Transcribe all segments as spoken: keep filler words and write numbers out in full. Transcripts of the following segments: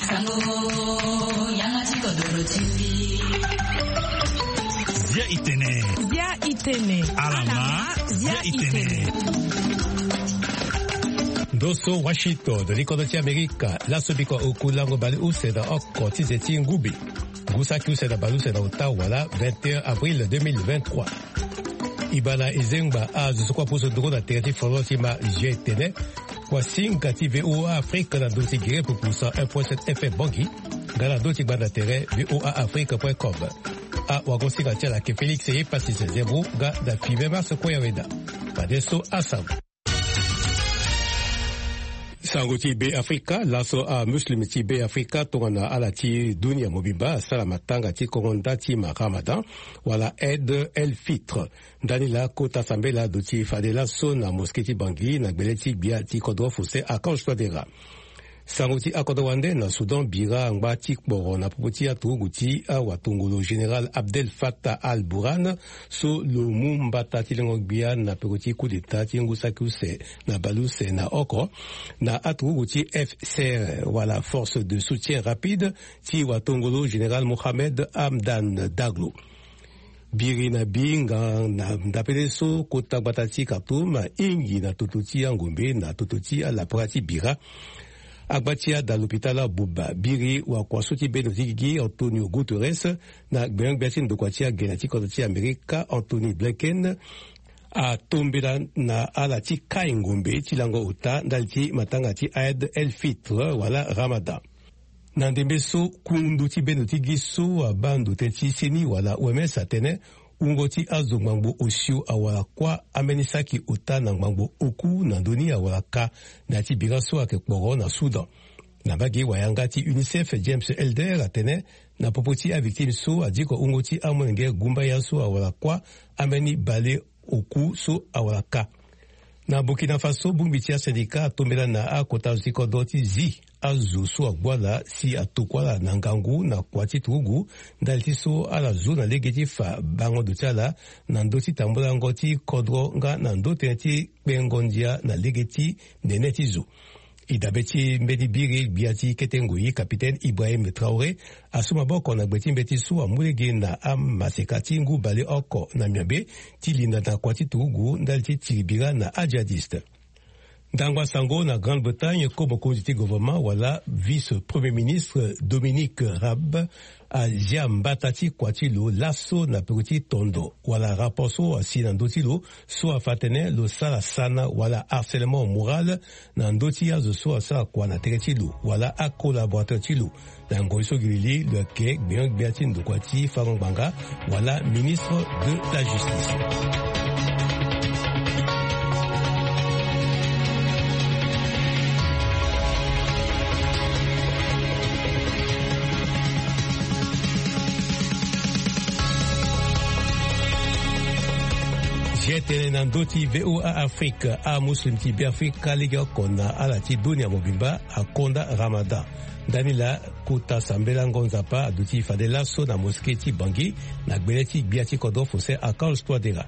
Sango, yanga ti kodoro ti mbi. Zia itene. Zia itene. Alama, zia itene. Ndo so Washington, likodo ti Amerika, laso biko oku lango bale use na oko ti ze ti ngube. Ngu saki use na bale use na ota wala vingt et un avril deux mille vingt-trois. E baa na e zengba azo so kue apusu nduru na tere ti folon ti ma zia etene. Wasinga ti V O A Afrique na ndö ti gere pupu cent un point sept F M Bangui, nga na ndö ti gbanda tere V O A Afrique point com. Awagosinga ti ala ayeke Félix Epassis Zebro nga na Five Mars Koyaweda. Fadeso asango. Sango ti Be Afrika, laso amuslim ti Be Afrika tongana ala ti dunia mobimba asara matanga ti kongo nda ti ma Ramadan, wala Eid el Fitr. Ndani laa kota sambela aduti fade laso na mosquée ti Bangui na gbele ti gbia ti kodro Faustin Archange Touadéra. Sango ti akodro wande na Soudan bira angba ti kporo na popo ti aturugu ti awatongolo général Abdel Fattah al-Burhan, so lo mu mbata ti lengo gbia na peko ti coup d'état ti ngu saki use na bale use na oko, na aturugu ti F C R wala Force de Soutien Rapide ti watongolo général Mohamed Hamdan Daglo. Biri na bi nga na ndapele so kota gbata ti Khartoum ahingi na toto ti angombe na toto ti alapara ti bira. Agba ti ada lopitala abuba biri wakua so ti bendo ti gigi Antonio Guterres na gbenyogbia ti ndokua ti agene ti kodro ti Amerika Anthony Blinken atombela na ala ti kai ngombe ti lango ota ndali ti matanga ti Eid el Fitr wala Ramadan. Na ndembe so kundu ti bendo ti gi so abaa ndo tënë ti seni wala O M S atene wungo ti azo ngbangbo osio awara kuâ ambeni saki ota na ngbangbo oku na ndö ni awara ka na ya ti bira so ayeke kporo na Soudan. Na mbage wayanga ti UNICEF, James Elder atene na popo ti avictime so adiko wungo ti amolenge gumbaya so awara kuâ ambeni bale oku so awara ka. Na Burkina Faso, bongbi ti asindika atombela na akota azo ti kodro ti zi azo so agbu ala si atokua ala na ngangu na kua ti turugu ndali ti so ala zu na lege ti fa bango ndo ti ala na ndö ti tambulango ti kodro nga na ndö tënë ti kpengo ndia na lege ti nene ti zo. E dabe ti mbeni biri gbia ti kete ngoi, capitaine Ibrahim Traoré asu maboko na gbe ti mbeti so amu lege na amaseka ti ngu baleoko na miombe ti linda na kua ti turugu ndali ti tiri bira na ajihadiste. Ndangba sango na Grande-Bretagne, ko mokonzi ti gouvernement wala vice-premier ministre Dominic Raab azia mbata ti kua ti lo laso na peko ti tondo wala rapport so asi na ndö ti lo so afa atene lo sara sana wala harcèlement moral na ndö ti azo so asara kua na tere ti lo wala acollaborateur ti lo. Na ngoi so gi li li lo yeke gbenyo-gbia ti ndokua ti fango ngbanga wala ministre de la justice. Zia tënë na ndö ti VOA Afrique, amuslim ti Beafrika legeoko na ala ti dunia mobimba akonda Ramadan. Ndani laa kota sambelango Nzapa aduti fade laso na mosquée ti Bangui na gbele ti gbia ti kodro Faustin Archange Touadéra.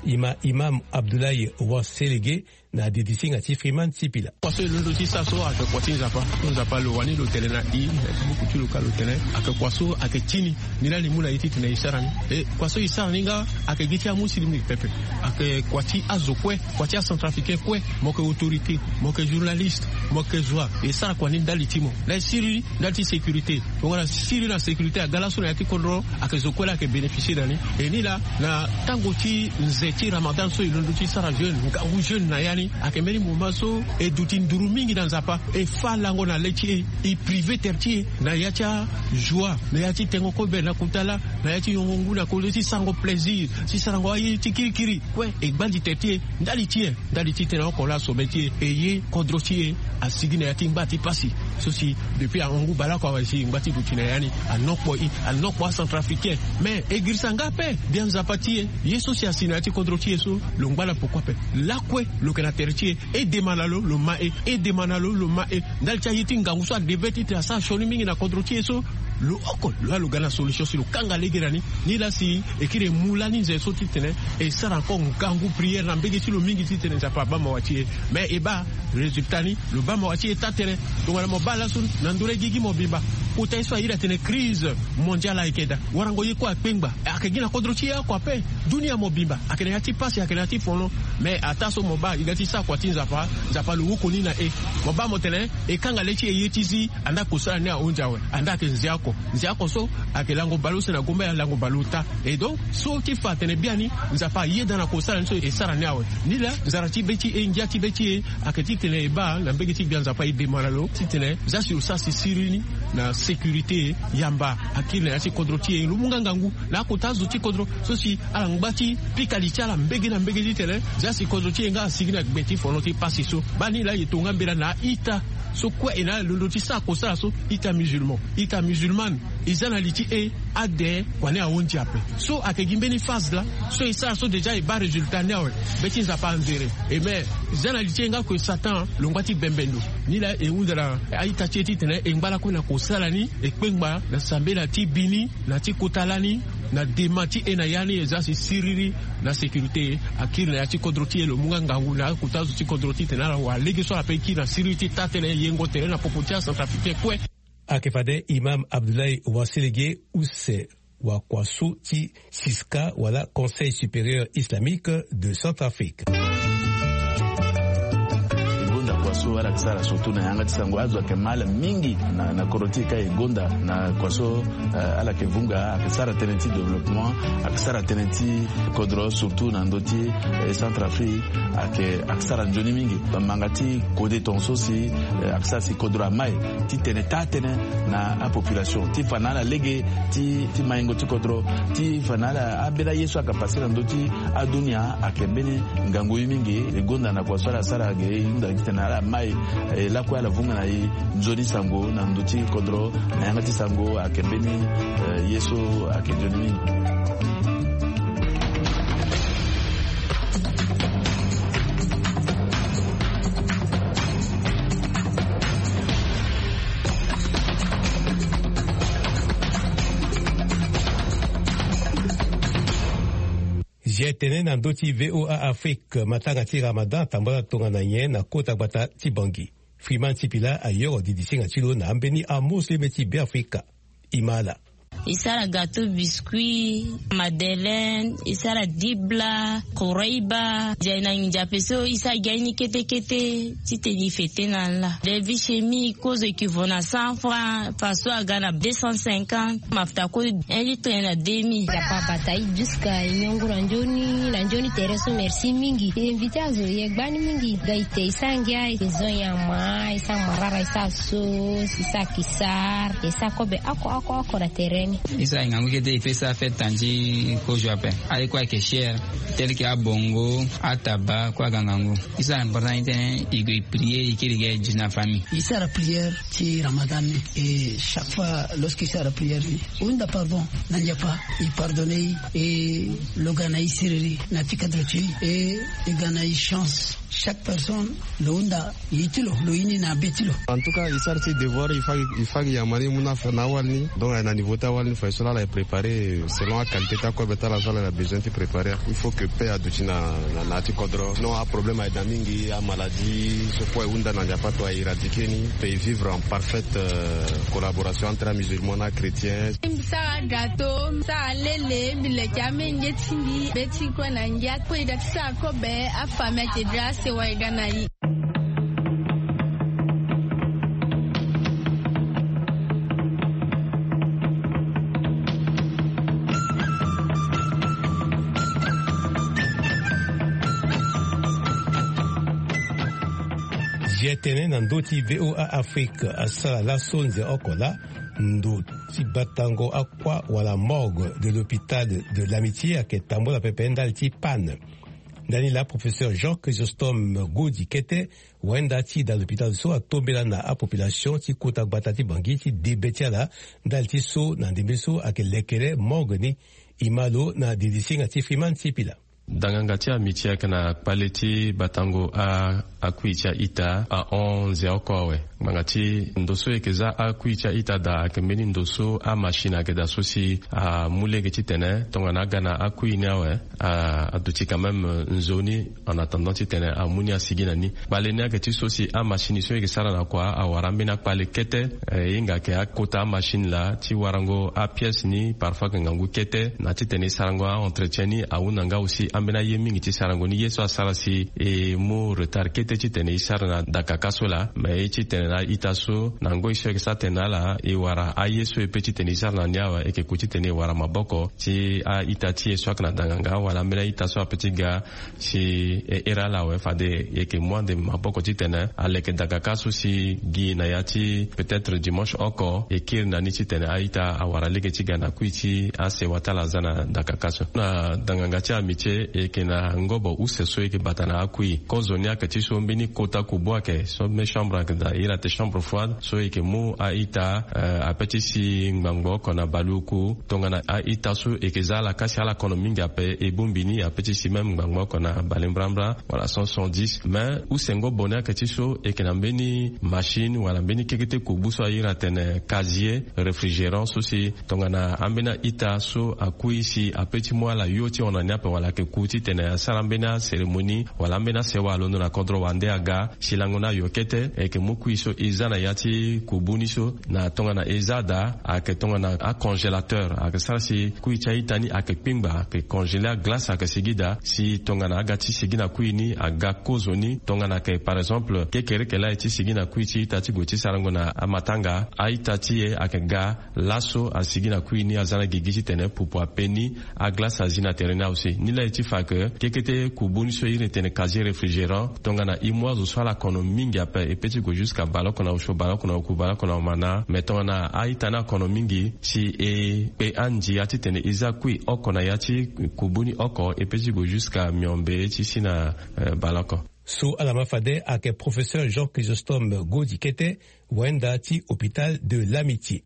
E ma imam Abdoulaye Waselege na didi singa ti Freeman Sipila. Kua so e londo ti sara so ayeke kua ti Nzapa. Nzapa lo wani lo tene na e, buku ti lo ka lo tene ayeke kua so ayeke ti ni. Ni laa ni mu na e titene e sara ni. E kua so e sara ni nga ayeke gi ti amuslim ni pepe. Ayeke kua ti azo kue, kua ti acentrafricain kue. Mo yeke autorité, mo yeke journaliste, mo yeke zo wa, e sara kua ni ndali ti mo. Na e siri ndali ti sécurité. Tongana siri na sécurité aga laso na ya ti kodro, ayeke zo kue laa ayeke bénéficier na ni. E ni laa na tango ti nze ti Ramadan so e londo ti sara jeûne, ngangu jeûne na ya ni, ayeke mbeni moment so e duti nduru mingi na Nzapa, e fâ lango na le ti e, e privé tere ti e na ya ti ajoie, na ya ti tengo kobe na kota laa, na ya ti yongo ngu na kodro ti sarango plaisir, ti sarango aye ti kirikiri. Kue e gbandi tere ti e ndali ti e. Ndali ti tene oko laa sommet ti e, e ye kodro ti e asigi na ya ti ngba ti pasi. So si depuis ahangu baleoko awe si ngba ti duti na ya ni, anokpo e, anokpo acentrafricain. Mais e girisa nga ape, bia Nzapa ti e, ye so si asi na ya ti kodro ti e so, lo ngba na poko ape. Lakue lo yeke na tere ti e, e dema na lo, lo ma e, e dema na lo, lo ma e. Ndali ti aye ti ngangu so adeve titene asara sioni mingi na kodro ti e so, Lo oko lo ya lo ga na solution si lo kanga lege na ni. Ni laa si e kiri e mu lani nze so titene e sara encore ngangu priere na mbege ti lo mingi titene Nzapa abaa mawa ti e. Mais e baa résultat ni, lo baa mawa ti e taa tënë. Tongana mo baa laso na ndö laa e gi gi mobimba. Kota ye so a iri atene crise mondiale ayeke daa. Warango ye kue akpengba. Ayeke gi na kodro ti e oko ape. Dunia mobimba ayeke na ya ti pasi, ayeke na ya ti fono. Mais ataa so mo baa e ga ti sara kua ti Nzapa, Nzapa lo wokoni na e. Mo baa mo tene e kanga le ti e ye ti zi. Andaa kosala ni ahunzi awe. Andaa ayeke nze oko. Nze oko so ayeke lango bale use na gombe ya lango bale ota. Et donc so ti fa atene biani Nzapa ayeda na kosala ni so e sara ni awe. Ni laa nzara ti be ti e, ngia ti be ti e ayeke titene e baa na mbege ti gbia Nzapa e demande na lo titene zia si lo sara si siriri ni na sécurité yamba akiri na ya ti kodro ti e. Lo mu nga ngangu na akota azo ti kodro so si ala ngba ti pika li ti ala mbege na mbege titene zia si kodro ti e nga asigi na gbe ti fono ti pasi so. Baa ni laa e to nga mbela na a-ita so kue e na ala londo ti sara kosala so, ita musulman, ita musulmane. E za na li ti e ade kua ni ahunzi ape. So ayeke gi mbeni phase laa so e sara so déjà e baa résultat ni awe. Be ti Nzapa anzere. E me, e za na li ti e nga kue Satan lo ngba ti bembe ndo. Ni laa e hunda na a-ita ti e titene e ngba lakue na kosala ni, e kpengba na sambela ti bi ni na ti kota lani, na dema ti e na ya ni e za si siriri na sécurité akiri na ya ti kodro ti e. Lo mu nga ngangu na akota azo ti kodro titene ala wara lege so ala pe kiri na siriri ti taa tënë, yengo tere na popo ti acentrafricain kue. Ayeke fade Imam Abdoulaye Waselege use wakua so ti CISCA wala Conseil Supérieur Islamique de Centrafrique. E gonda kua so ala yeke sara surtout na yanga ti sango, azo ayeke ma ala mingi na, na kodro ti e ka e gonda na kua so, eh, ala yeke vunga, ayeke sara tënë ti développement, ayeke sara tënë ti kodro surtout na ndö ti, eh, Centrafrique, ayeke, ayeke sara nzoni mingi. Bamanga ti kode tongaso si, eh, ayeke sara si kodro amai titene taa tënë na apopulation ti fa na ala lege ti, ti maingo ti kodro, ti fa na ala ambeni aye so ayeke pase na ndö ti adunia. Ayeke mbeni ngangu ye mingi. E gonda na kua so ala sara ge e hunda titene ala mai, eh, lakue ala vunga na e nzoni sango na ndö ti kodro na yanga ti sango. Ayeke mbeni, eh, ye so ayeke nzoni mingi. Zia tene na ndö ti VOA Afrique, matanga ti Ramadan atambula tongana nyen na kota gbata ti Bangui? Freeman Sipila ayoro didisinga ti lo na ambeni amosleme ti Beafrika. E ma ala. E sara gâteau, biscuit, madeleine, e sara dibla, koreiba. Zia na nginza ape so e sara gi aye ni kete kete titene e fete na ala. Levi shemi kozo e ke vo na cent francs, faso aga na deux cent cinquante, mafuta kue un litre na demi. Nzapa abata e jusqu'à e nyongo na nzoni, na nzoni tere so, merci mingi. E invité azo, e gba ni mingi. Ga e te e sara ngia, e zo nyama, e sara marara, e sara sauce, e sara kisar, e sara kobe oko oko oko na tere ni. E sara e ngangu kete e pe sara fête na ti kozo ape. Aye kue ayeke cher, tel que abongo, ataba kue aga ngangu. E sara important ti tene e gue e prier, e kiri ge e duti na famille. E sara prière ti Ramadan ni. Et chaque fois lorsque e sara prière ni, e hunda pardon na Nzapa, e pardonner e, et lo ga na e siriri na ti cadre ti e, et e ga na e chance. Chaque personne lo hunda ye ti lo, lo ye ni na be ti lo. En tout cas, e sara ti devoir, e fa gi, e fa gi yama ni, e mu na afa na awali ni. Donc aye na niveau ti awali ni, fa so laa ala e préparer selon aqualité ti akobe ti ala so ala na besoin ti préparer. Il faut que paix aduti na, na, na ya ti kodro. Sinon aproblème aye daa mingi, amaladie so kue e hunda na Nzapa to a éradiquer ni, pe e vivre en parfaite, euh, collaboration entre amusulman na achrétien. Mbi sara gâteau, mbi sara lele, mbi leke amengue ti mbi, be ti kue na ngia. Kue e ga ti sara kobe, afamille ayeke dra sewa e ga na e. Zia tene na ndö ti VOA Afrique asara laso nze oko laa, ndo ti batango akua wala morgue de l'hôpital de l'Amitié ayeke tambula pepe ndali ti panne. Ndani laa professeur Jean Chrysostome Godi Kete, wenda ti da l'hôpital so atombela na apopulation ti kota gbata ti Bangui ti debe ti ala ndali ti so na ndembe so ayeke lekere morgue ni. E ma lo na didisinga ti Freeman Sipila. Danganga ti Amitié ayeke na kpale ti batango a Akui ti a-ita ahon nze oko awe. Ngbanga ti ndo so e yeke za akui ti a-ita daa ayeke mbeni ndo so amachine ayeke daa so si amu lege titene tongana aga na akui ni awe, aduti quand même nzoni en attendant titene amu ni asigi na ni. Kpale ni ayeke ti so si amachine so e yeke sara na kua awara ambeni akpale kete. E hinga ayeke akota amachine laa ti warango apièce ni parfois ayeke ngangu kete na titene e sarango a-entretien ni. Ahunda nga aussi ambeni aye mingi ti sarango ni ye so asara si e mu retard kete titene e sara na dakaka so laa. Mais e titene na a-ita so na ngoi so e yeke sara tene na ala e wara aye so e pe titene e sara na ni awe e yeke ku titene e wara maboko ti a-ita ti e so ayeke na danganga wala ambeni a-ita so ape ti ga si e here ala awe fade e yeke mu ande maboko titene aleke dakaka so si gi na ya ti peut-être dimanche oko e kiri na ni titene a-ita awara lege ti ga na kui ti asewa ti ala aza na dakaka so. Na danganga ti amitié e yeke na ngobo use so e yeke bata na akui. Kozo ni ayeke ti so mbeni kota kubu ayeke so mbeni chambre ayeke daa iri ate chambre froide so e yeke mu a-ita ape ti si ngbangbo oko na baleoku. Tongana a-ita so e yeke za ala kasi ala kono mingi ape e bongbi ni ape ti si même ngbangbo oko na balebrambra wala cent soixante-dix. Mais use ngobo ni ayeke ti so e yeke na mbeni machine wala mbeni kekete kubu so a iri atene casier réfrigérant so si tongana ambeni a-ita so akui si ape ti mu ala yo ti hon na ni ape wala ayeke ku titene asara ambeni acérémonie wala ambeni asewa alondo na kodro wande aga si lango ni ayo kete e yeke mu kui so e za na ya ti kubu ni so. Na tongana e za daa ayeke tongana acongélateur ayeke sara si kui ti a-ita ni ayeke kpingba ayeke congélé aglace ayeke sigi daa si tongana aga ti sigi na kui ni aga kozo ni. Tongana ayeke par exemple kekereke laa e ti sigi na kui ti ita ti gue ti sarango na amatanga a-ita ti e ayeke ga laso asigi na kui ni aza na gigi titene pupu ape ni. Aglace azi na tere ni awe si ni laa e ti fa ke kekete kubu ni so e iri tene casier réfrigérant tongana e mu azo so ala kono mingi ape e pe ti gue jusqu'à baleoko na osio baleoko na oku baleoko na omana. Mais tongana a-ita ni akono mingi si e kpe andia titene e za kui oko na ya ti kubu ni oko e pe ti gue jusqu'à miombe ti si na baleoko. So ala ma fade ayeke professeur Jean Chrysostome Godi kete wayenda ti hôpital de l'amitié.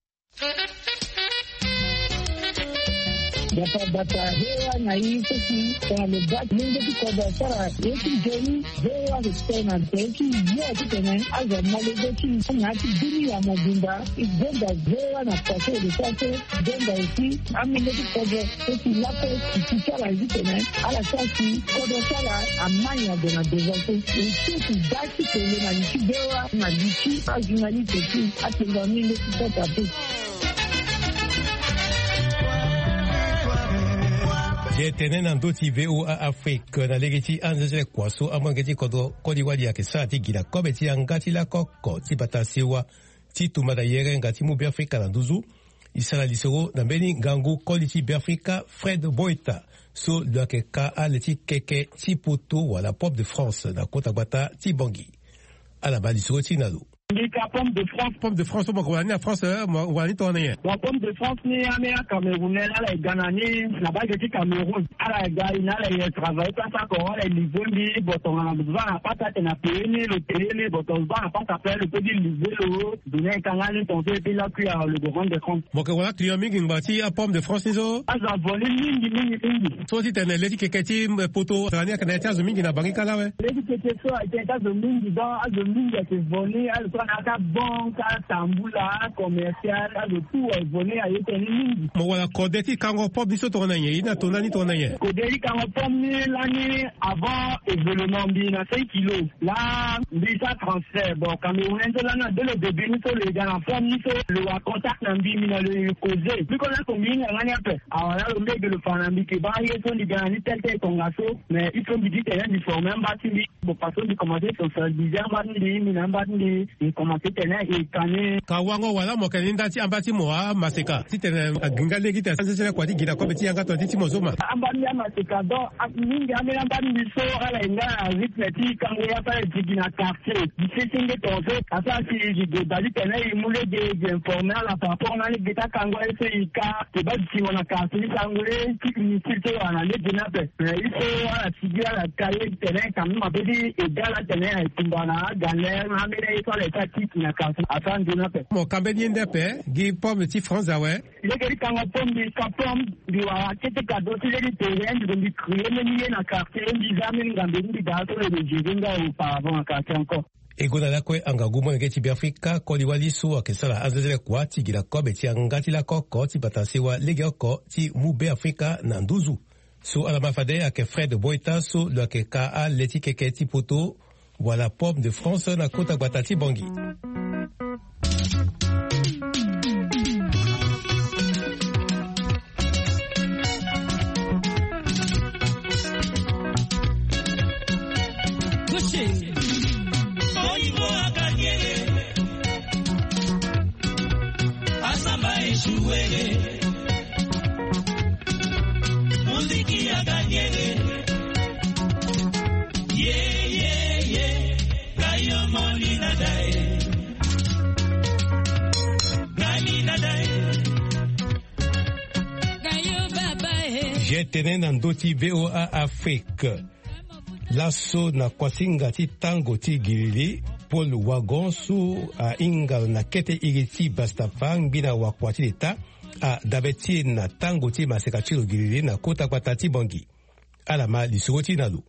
Bata bata V O A na i so si tongana lo baa ti lenge ti kodro asara ye ti nzoni. V O A lo tene na tere ti yo titene azo amolenge ti na ya ti bini ya mobimba. E gonda V O A na kua so e lo sara so. Gonda aussi amolenge ti kodro so si lape ti ti ala titene ala sara si kodro ti ala amai ado na devant so. E so si baa ti tene na li ti V O A na li ti ajournaliste ti atenga amolenge ti kota pe. Ye tene na ndö ti V O A Afrique na lege ti anzezele kua so amolenge ti kodro koli wali ayeke sara ti gi na kobe ti yanga ti lakoko ti bata sewa ti tumba na yerenga ti mu Beafrika na nduzu. E sara lisoro na mbeni ngangu koli ti Beafrika Fred Boita so lo yeke ka ale ti keke ti poto wala Pope de France na kota gbata ti Bangui. Ala baa lisoro ti na lo. Mbi ka Pomme de France. Pomme de France so mo yeke wara ni na France, eh, mo wara ni tongana nyen? Bon, Pomme de France ni ambeni aCamerounais ala ye ga na ni na baa ge ti Cameroun. Ala ye ga e na ala ye travailler place oko ala ye livrer mbi. Bon, tongana mo zo ala na pasa atene na payer ni lo payer ni. Bon, tongana mo zo ala na pasa ape lo peut ti livrer lo. Donner e ka nga ni tongaso e peut lakui a lo go rendre compte. Mo yeke wara client mingi ngba ti aPomme de France ni so? Azo avo ni mingi mingi mingi. So ti tene le ti keke ti poto tara ni ayeke na ya ti azo mingi na Bangui kâ laa awe? Le ti keke so ayeke na ya ti azo mingi donc azo mingi ayeke vo ni azo so ayeke na ya ti abanque, atambula, acommercial, azo tout aye vo ni aye tene ni mingi. Mo wara kode ti kango pomme ni so tongana nyen? E na tonda ni tongana nyen? Kode ti kango pomme ni lani avant événement mbi na cinq kilos. Laa mbi sara transfert. Bon, Camerounais ni so lani na dès le début ni so lo ye ga na pomme ni so lo wara contact na mbi, mbi na lo ye causer. Mbi kozo ako mbi hinga nga ni ape. Awa laa lo mbege lo fa na mbi ke baa ye so mbi ga na ni tel tel tongaso. Mais il faut mbi di tene mbi former amba ti mbi. Bon, parce que mbi commencer sensibiliser amba ti mbi, mbi na amba ti mbi, mbi commencer tene e ka ni. Ka wango wala mo yeke ni nda ti amba ti mo amaseka titene agiri nga lege ti asensesene kua ti gi na kobe ti yanga tongana ti ti mo so ma. Amba ti mbi amaseka donc mingi ambeni amba ti mbi so ala ye nga na rythme ti kango ya so ala ye ti gi na quartier. Gi sesenge tongaso asara si gi gue daa titene e mu lege gi informer ala par rapport na lege ti akango aye so e ka. Ke baa dutingo na quartier ti sango ye ti ministre ti wara na lege ni ape. Mais il faut ala sigi ala ka ye titene quand même ape ti ega ala titene aye tumba na agalère na ambeni aye so ala ye ti Atiki na quartier asara nzoni ape. Mo ka mbeni ye nde ape gi pomme ti France awe. Lege ti kanga pomme, mbi ka pomme, mbi wara kete cadeau ti lege ti terrain, mbi gue mbi créer mbeni ye na quartier, mbi za mbeni ngambe ti mbi daa so lo de gérer nga auparavant na quartier encore. E gonda lakue angangu molenge ti Beafrika koli wali so ayeke sara anzenzele kua ti gi na kobe ti yanga ti lako oko ti bata sewa legeoko ti mu Beafrika na nduzu. So ala ma fade ayeke Fred Boita so lo yeke ka ale ti keke ti poto wala Pomme de France na kota gbata ti Bangui. Asamba esuwele. Muziki ya ganyele. Ye, ye, ye. Gayo moni na dae. Gani na dae. Gayo baba e. Je tene na ndö ti V O A Afrique. Laso na kuasinga ti tango ti giriri, Paul Wagon so ahinga lo na kete iri ti Bastafa, ngbina wakua ti leta, adabe ti e na tango ti maseka ti lo giriri na kota gbata ti Bangui. Ala ma lisoro ti e na lo.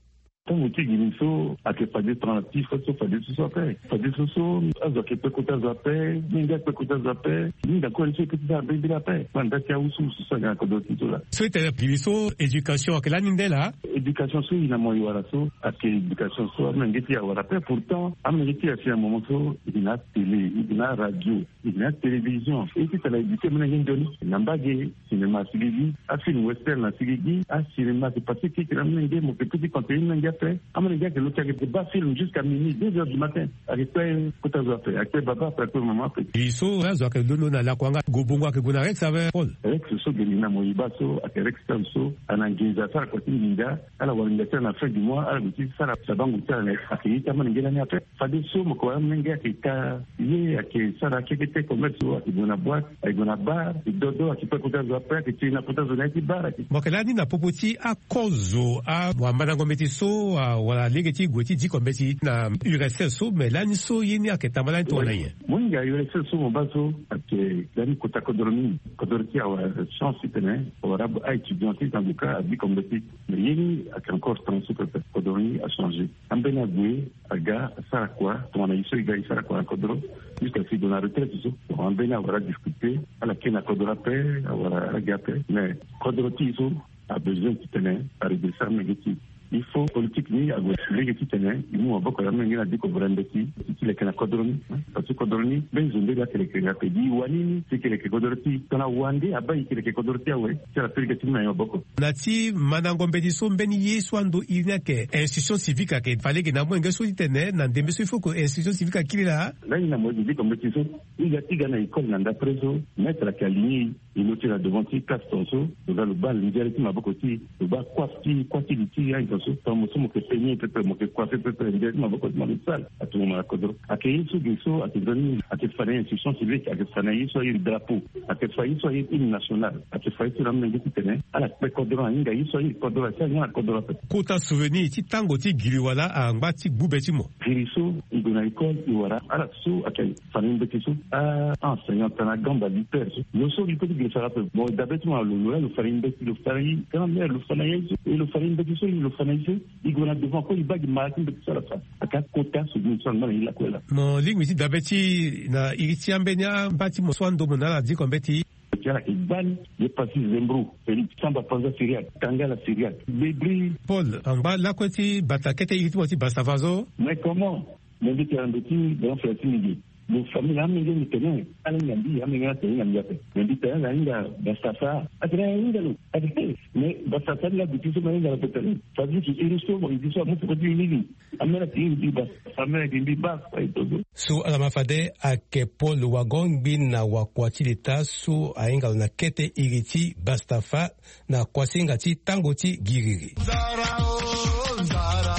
Tango ti giri so ayeke fade tongana ti fa so fade so so ape. Fade so so azo ayeke kpe kota zo ape, mingi akpe kota zo ape. Mingi akue ni so e kpe ti sara mbirimbiri ape. Kua nda ti awusuwusu so aga na kodro ti so laa. So e tene giri so éducation ayeke lani nde laa? Éducation so e na mo e wara so ayeke éducation so amolenge ti e awara ape. Pourtant amolenge ti e asi na moment so e yeke na atélé, e yeke na aradio, e yeke na atélévision. E ti tara éduquer amolenge nzoni na mbage. Cinéma asi gigi, afilm western asi gigi, acinéma ayeke passé kirikiri na amolenge, mo yeke peut ti contenu amolenge ape. Amolenge ayeke lo ti ayeke baa film jusqu'à minuit, deux heures du matin. Ayeke kpe kota zo ape, ayeke kpe baba ape, ayeke kpe mama ape. E so azo ayeke londo na lakua nga, gobongo ayeke gue na Rex ape, Paul? Rex so ge ni na mo e baa so ayeke Rex Town so, ana nginza asara kua ti nginza. Ala wara nginza ti ala na fin du mois, ala gue ti sara sabango ti ala na e. Ayeke ye ti amolenge lani ape. Fade so mo yeke wara amolenge ayeke ka ye, ayeke sara akekete commerce so, ayeke gue na boîte, ayeke gue na bar, ayeke dodo, ayeke kpe kota zo ape, ayeke ti na kota zo na ya ti bar, ayeke. Mo yeke lani na popo ti akozo, awamandango mbeti so, a, wala lege ti gue ti diko mbeti na U R S S so, me lani so ye ni ayeke tamba lani tongana nyen? Mo hinga U R S S so mo baa so ayeke lani kota kodro mingi. Kodro ti e awara chance titene awara a-étudiant ti zango kâ adiko mbeti. Mais ye ni ayeke encore temps so pepe, kodro ni achangé. Ambeni ague aga asara kua tongana e so e ga e sara kua na kodro. Jusqu'à si e gue na retraite so, bon, ambeni awara difficulté, ala kiri na kodro ape, awara ala gi ape. Mais kodro ti e so abesoin titene aredresser amolenge ti e. Il faut politique ni ague lege titene e mu maboko na amolenge ni adiko vere mbeti ti leke na kodro ni. Parce que kodro ni mbeni zo nde laa ayeke leke ape. Gi e wani ni si e yeke leke kodro ti e, tongana wande abaa e yeke leke kodro ti e awe. Ti ala peleke ti mu na e maboko. Na ti mandango mbeti so, mbeni ye so ando iri ni ayeke institution civique ayeke fa lege na amolenge so titene na ndembe so il faut que institution civique akiri laa. Lani na mo e diko mbeti so, e ga ti ga na école na ndapre so, maître ayeke aligné e, e lo ti na devant ti classe tongaso, lo ga lo baa linzere ti maboko ti e, lo baa coiffe ti, coiffe ti li ti e, azo so tongana mo so mo yeke peigner pepe, mo yeke coiffer pepe, linzere ti maboko ti mo lo sale. Atomo mo na kodro. Ayeke ye so ge so ayeke nzoni, ayeke fa na e institution civique, ayeke fa na e ye so airi drapeau, ayeke fa ye so airi hymne national, ayeke fa ye so na amolenge titene ala kpe kodro, ahinga ye so airi kodro, asi ahinga na kodro ape. Kota souvenir ti tango ti giri wala angba ti gbu be ti mo? Giri so e gue na école e wara ala so ayeke fa na e mbeti so, a, a-enseignant tongana agamba lutteur so, lo so li peut ti giri sara ape. Bon, e dabe ti mo na lo, lo laa lo fa na e mbeti, lo fa na e grand-mère, lo fa na e so, e lo fa na e mbeti so, lo fa na e so. E gue na devant kue, e baa gi mara ti mbeti so ala fa. Ayeke akota souvenir so angba na e lakue laa. Mo lingbi ti dabe ti e na iri ti ambeni angba ti mo so ando mo na ala diko mbeti. Ti ala yeke gbani, ye pasi Zembro, Félix, Samba Panza Syriaque, Tangala Syriaque, Bebri. Paul, angba lakue ti bata kete iri ti mo ti Bastafa so. Mais comment? Mais mbi tene na ndo ti grand frère ti mbi ge. Lo famille na amenge mbi tene, ala hinga mbi, amenge ala tene hinga mbi ape. Mais mbi tene ala hinga Bastafa. Atene ala hinga lo. Atene, mais Bastafa ni la duti so ma hinga lo ape tene. Fade ti iri so mo iri so amu peko ti mbi ni. Amene ti mbi ba, amene ti mbi ba, fa ito so. So ala ma fade ayeke Paul Wagon, ngbina wakua ti leta so ahinga lo na kete iri ti Bastafa na kuasinga ti tango ti giriri. Nzara o, nzara,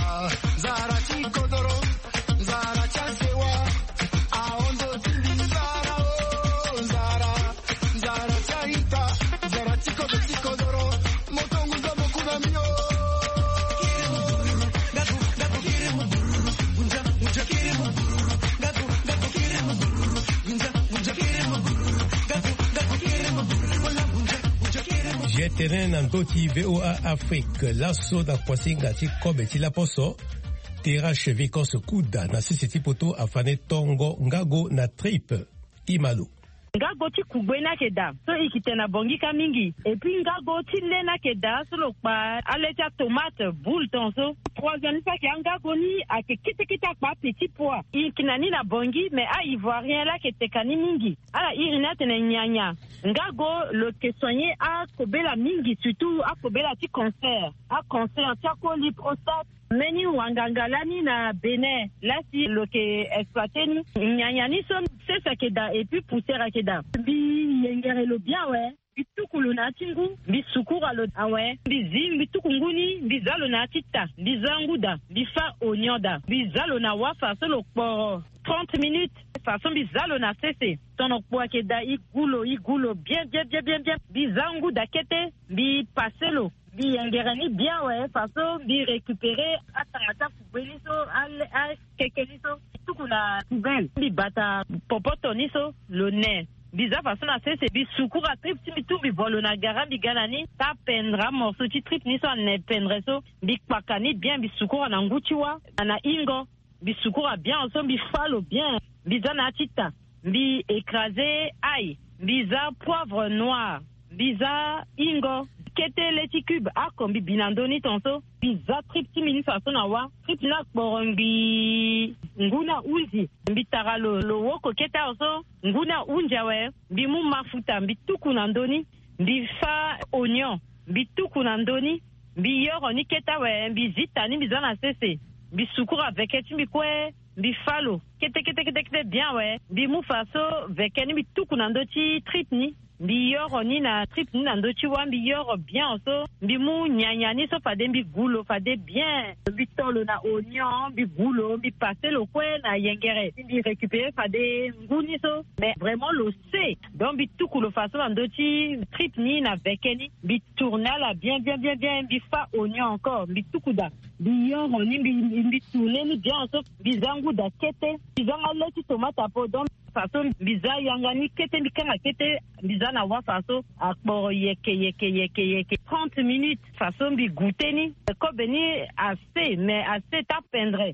nzara ti kodoro, nzara ti asewa, ahondo ti mbi. Nzara o, nzara, nzara ti aita, nzara ti kodro ti kodoro. Moto ngunza mo kuna mbi o. Tene na ndö ti VOA Afrique laso na kuasinga ti kobe ti laposo. Terrache Vicos Kuda na sese ti poto afane tongo ngago na tripe. Imalo. Ngago ti kugbe ni ayeke daa so e yeke tene na Bangui kâ mingi. Et puis ngago ti lê ni ayeke daa so lo kpa alê ti atomate boule ton so. Troisième ni so ayeke angago ni ayeke kete kete akpa apetit pois. E yeke na ni na Bangui mais a-ivoirien laa ayeke teka ni mingi. Ala iri ni atene nyanya. Ngago lo yeke soigner akobela mingi, surtout akobela ti cancer, acancer ti akoli, prostate. Mbeni wanganga lani na Bénin laa si lo yeke exploiter ni. Nyanya ni so sese ayeke daa et puis poussière ayeke daa. Mbi yengere lo bien awe. Mbi tuku lo na ya ti ngu, mbi sukura lo awe. Mbi zi, mbi tuku ngu ni, mbi za lo na ya ti ta, mbi za ngu daa, mbi fâ oignon daa, mbi za lo na wafa so lo kporo trente minutes. Façon mbi za lo na sese, tono kpo ayeke daa, e gu lo, e gu lo bien bien bien bien bien. Mbi za ngu daa kete, mbi passe lo, mbi yengere ni bien awe. Façon mbi récupérer atanga ti akugbe ni so, ale, akeke ni so, mbi tuku na poubelle, mbi bata popoto ni so, lo ne. Mbi za façon na sese, mbi sukura tripe ti mbi tout, mbi vo lo na gara, mbi ga na ni, ta pendre amorceau ti tripe ni so ane pendre so, mbi kpaka ni bien, mbi sukura na ngu ti wâ na hingo. Mbi sukura bien so, mbi fâ lo bien, mbi za na ya ti ta, mbi écraser ail, mbi za poivre noir, mbi za hingo, kete lê ti cube oko mbi bi na ndö ni ton so. Mbi za tripe ti mbi ni façon na wâ, tripe ni akporo ngbii, ngu ni ahunzi. Mbi tara lo, lo woko kete awe so, ngu ni ahunzi awe. Mbi mu mafuta, mbi tuku na ndö ni, mbi fâ oignon, mbi tuku na ndö ni, mbi yoro ni kete awe, mbi zi ta ni, mbi za na sese, mbi sukura veke ti mbi kue, mbi fâ lo kete kete kete kete bien awe. Mbi mu façon veke ni, mbi tuku na ndö ti tripe ni, mbi yoro ni na tripe ni na ndö ti wâ, mbi yoro bien so. Mbi mu nyanya ni so fade mbi gu lo fade bien. Mbi to lo na oignon, mbi gu lo, mbi passe lo kue na yengere, mbi récupérer fade ngu ni so. Mais vraiment lo se. Donc mbi tuku lo façon na ndö ti tripe ni na veke ni, mbi tourner ala bien bien bien bien, mbi fâ oignon encore, mbi tuku daa, mbi yoro ni, mbi, mbi, mbi tourner ni bien so, mbi za ngu daa kete, mbi za nga lê ti tomate apo. Donc façon mbi za yanga ni kete, mbi kanga kete, mbi za na wâ façon akporo yeke yeke yeke yeke trente minutes. Façon mbi goûter ni, kobe ni ase, mais ase ta pendre.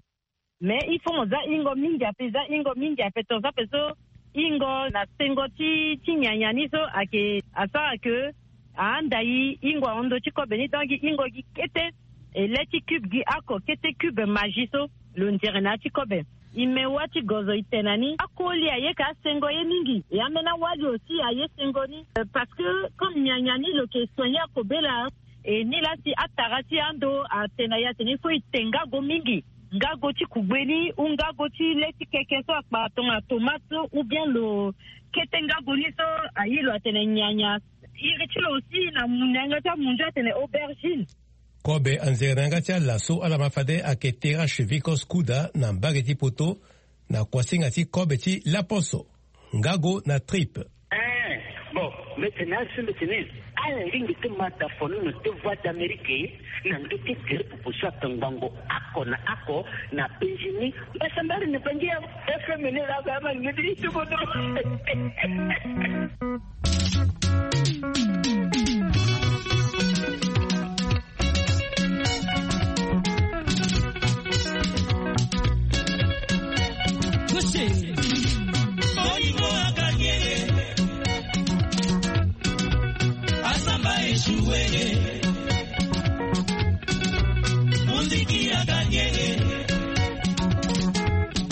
Mais il faut mo za hingo mingi ape, za hingo mingi ape, tongaso ape so hingo na sengo ti, ti nyanya ni so ayeke, asara ke ahanda e hingo ahon ndö ti kobe ni. Donc gi hingo gi kete, e lê ti cube gi oko kete, cube Maggi so lo nzere na ya ti kobe. E me wâ ti gozo, e tene na ni akoli aye ka asengo ye mingi, e ambeni awali aussi aye sengo ni. Euh, parce que comme nyanya ni lo yeke soigner akobela. E ni laa si atara ti ando atene na e atene il faut e te ngago mingi, ngago ti kugbe ni ou ngago ti lê ti keke so akpa tongana tomate so ou bien lo kete ngago ni so aye lo atene nyanya. Iri ti lo aussi na mu na yanga ti amunzu atene aubergine. Kobe anzere na yanga ti ala so ala ma fade ayeke Terrache Vicos Kuda na mbage ti poto, na kuasinga ti kobe ti laposo. Ngago na tripe. Eh, bon, mbi tene asi mbi tene, ala lingbi ti ma da fono na te Voix d'Amérique na ndö ti gere popo so atongbango oko na oko na Benjini. Mbasambari na Bangi ya F M ni la ba ma ni ti kodo. Bolingo aganye, Asamba échoué. Muziki aganye.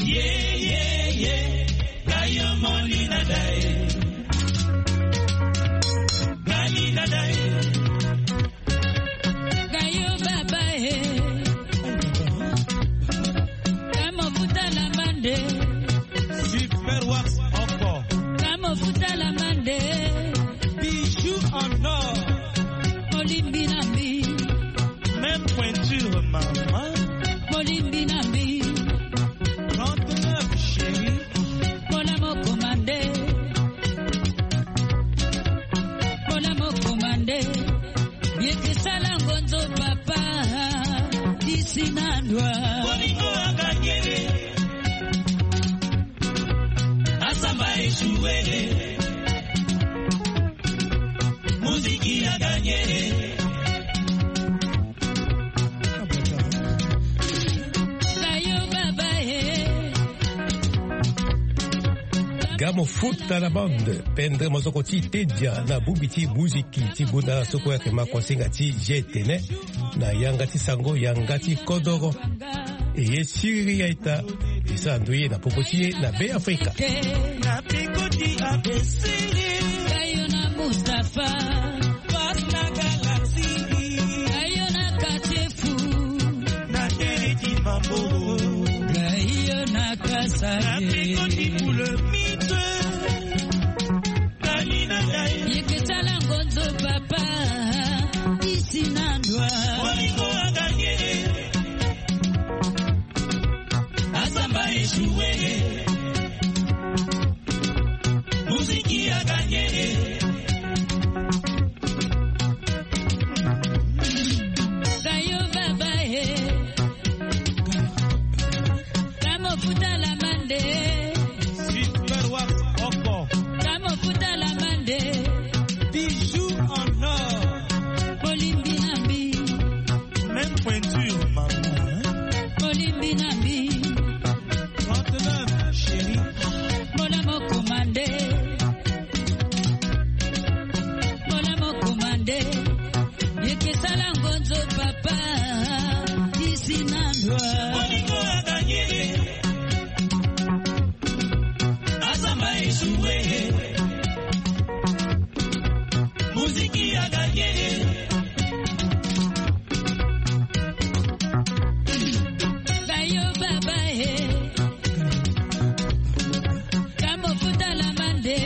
Yeah, yeah, yeah. Gayo Molina Dai. Molina Dai. Gayo baba eh. Kamo futa la mande. Super Wax encore. Kamo futa la mande. Bijoux en or. Molimbi na mbi. Même pointure maman. Molimbi na mbi. Trente-neuf chérie. Mola mo commandé. Mola mo commandé. Yeke sala ngonzo papa. Disi na ndwa. Bolingo aganye. Asamba échoué. Muziki aganye. Gamo futa la bande, pendre mosoko ti tedia na bubi ti muziki ti gunda so kue ayeke ma kuasinga ti G T N na yanga ti sango, yanga ti kodoro. E ye siriri aita, e sara ndoye na popo ti e na Be Afrika. Na peko ti A B C. Kayo na Mustapha. Passe na galaxie. Kayo na quartier fou. Na tere ti mambo. Kayo na kasa. Na peko ti boulomite. Yeke sala ngonzo papa, isi na ndwa. Bolingo aganye. Asamba échoué. Muziki aganye. Kayo baba e. Kamo futa la mande. Super Wax Oko. Kamo futa la mande. Bijoux en or. Olimbi na mbi. Même pointure, maman, hein? Olimbi na mbi. Trente-neuf, chérie. Mola mo commandé. Mola mo commandé. Yeke sala ngonzo papa, isi na ndwa. Bolingo aganye. Asamba échoué. Muziki aganye. Bayo baba e. Kamo futa la mande.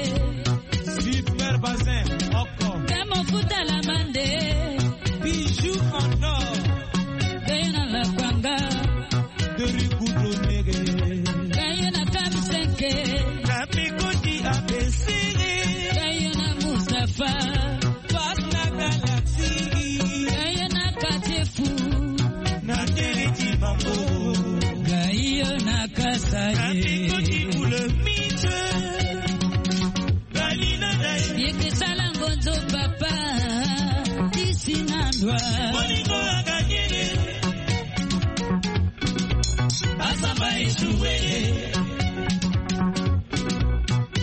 Super Bazin, Oko. Kamo futa la mande. Bijoux en or. Kayo na la kwanga. De Rigoudo Nege. Kayo na Kamsenke. Na peko ti A B C. Kayo na Mustapha. Passe na galaxie. Kayo na quartier fou. Na tere ti mambo. Kayo na kasa. Na peko ti boulomite. Yeke sala ngonzo papa, isi na ndwa. Bolingo aganye. Asamba échoué.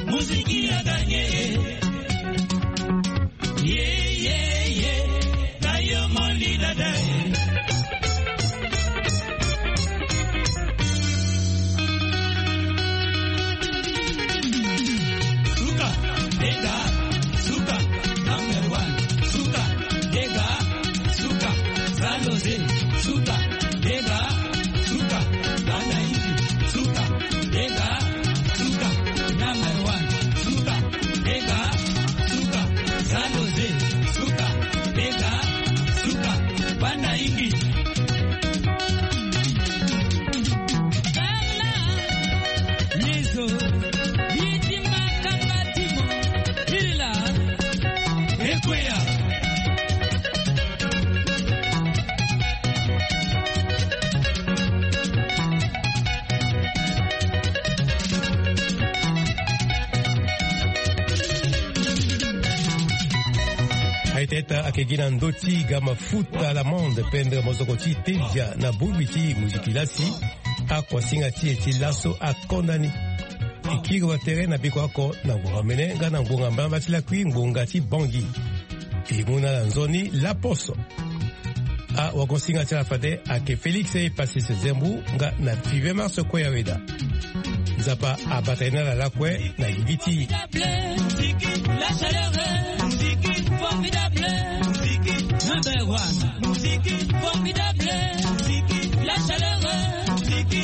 Muziki aganye. Yeah, yeah, yeah. Kayo moli dada. Suka, dega, suka, number one. Suka, dega, suka, zaloze. Suka, dega, suka, banda indi. Suka, dega, suka, number one. Suka, dega, suka, zaloze. Suka, dega, suka, banda indi. Yezo, Bidima Kabatimo, Ila, Ekweya. Aita ita ayeke gi na ndö ti ga mafuta la mande pendre mosoko ti tedia na bubi ti muziki lasi. Akuasinga ti e ti laso akonda ni. E kiri wa tere na biko oko na ngbonga mene nga na ngbonga mbamba ti lakui ngbonga ti Bangui. E mu na ala nzoni laposo. Awagosinga ti ala fade ayeke Félix Epasis Zembu nga na Five Mars Koyaweda. Nzapa abata ye na ala lakue na yigi ti. Muziki, la chaleur, muziki, formidable, muziki, number one, muziki, formidable, muziki, la chaleur, muziki,